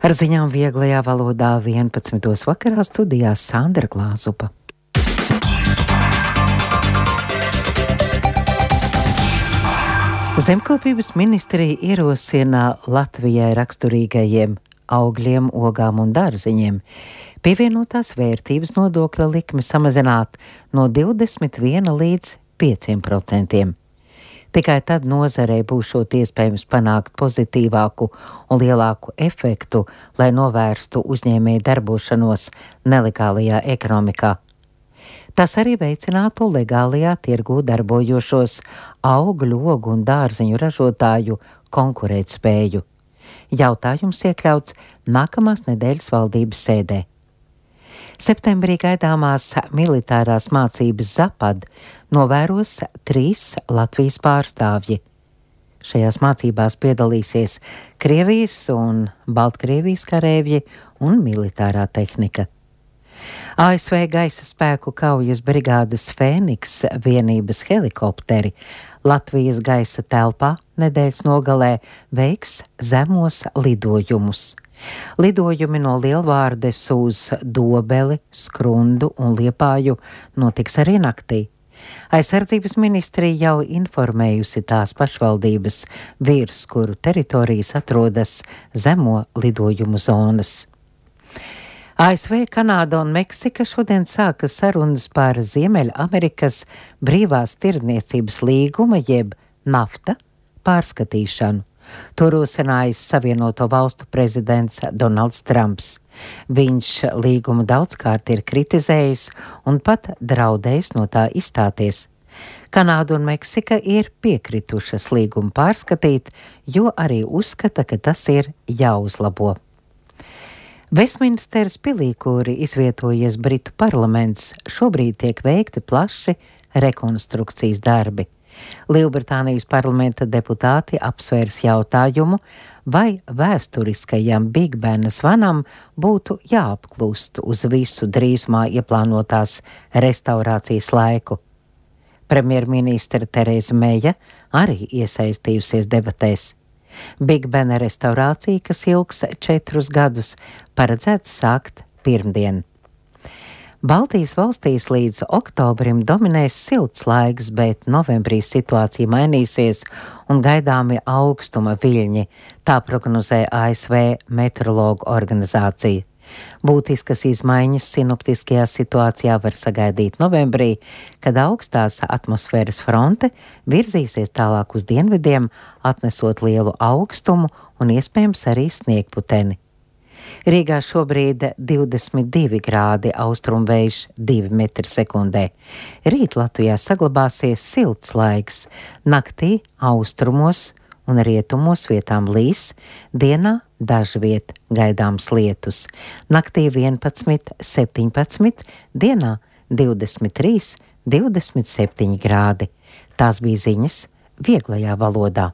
Ar ziņām vieglajā valodā 11. vakarā studijā Sandra Glāzupa. Zemkopības ministrija ierosina Latvijai raksturīgajiem augļiem, ogām un dārziņiem pievienotās vērtības nodokļa likmi samazināt no 21 līdz 5%. Tikai tad nozarei būšot iespējams panākt pozitīvāku un lielāku efektu, lai novērstu uzņēmēju darbošanos nelegālajā ekonomikā. Tas arī veicinātu legālajā tirgū darbojošos augļu, ogu un dārziņu ražotāju konkurētspēju. Jautājums iekļauts nākamās nedēļas valdības sēdē. Septembrī gaidāmās militārās mācības Zapad novēros 3 Latvijas pārstāvji. Šajās mācībās piedalīsies Krievijas un Baltkrievijas karēvji un militārā tehnika. ASV gaisa spēku kaujas brigādes Fēniks vienības helikopteri Latvijas gaisa telpā nedēļas nogalē veiks zemos lidojumus. Lidojumi no Lielvārdes uz Dobeli, Skrundu un Liepāju notiks arī naktī. Aizsardzības ministrija jau informējusi tās pašvaldības, virs kuru teritorijas atrodas zemo lidojumu zonas. ASV, Kanāda un Meksika šodien sāka sarunas par Ziemeļamerikas brīvās tirdzniecības līguma jeb NAFTA pārskatīšanu. To rosinājis Savienoto valstu prezidents Donalds Trumps. Viņš līgumu daudzkārt ir kritizējis un pat draudējis no tā izstāties. Kanāda un Meksika ir piekritušas līgumu pārskatīt, jo arī uzskata, ka tas ir jāuzlabo. Vestminsteras pilī, kur izvietojies Britu parlaments, šobrīd tiek veikti plaši rekonstrukcijas darbi. Lielbritānijas parlamenta deputāti apsvērs jautājumu, vai vēsturiskajam Big Bena zvanam būtu jāapklust uz visu drīzumā ieplānotās restaurācijas laiku. Premjerministre Tereza Meja arī iesaistījusies debatēs. Big Bena restaurācija, kas ilgs 4 gadus, paredzēts sākt pirmdien. Baltijas valstīs līdz oktobrim dominēs silts laiks, bet novembrī situācija mainīsies un gaidāmi augstuma viļņi, tā prognozē ASV meteorologu organizācija. Būtiskas izmaiņas sinoptiskajā situācijā var sagaidīt novembrī, kad augstās atmosfēras fronte virzīsies tālāk uz dienvidiem, atnesot lielu augstumu un iespējams arī sniegputeni. Rīgā šobrīd 22 grādi, austrumvējš 2 metri sekundē. Rīt Latvijā saglabāsies silts laiks, naktī austrumos un rietumos vietām līs, dienā dažviet gaidāms lietus. Naktī 11, 17, dienā 23, 27 grādi. Tās bija ziņas vieglajā valodā.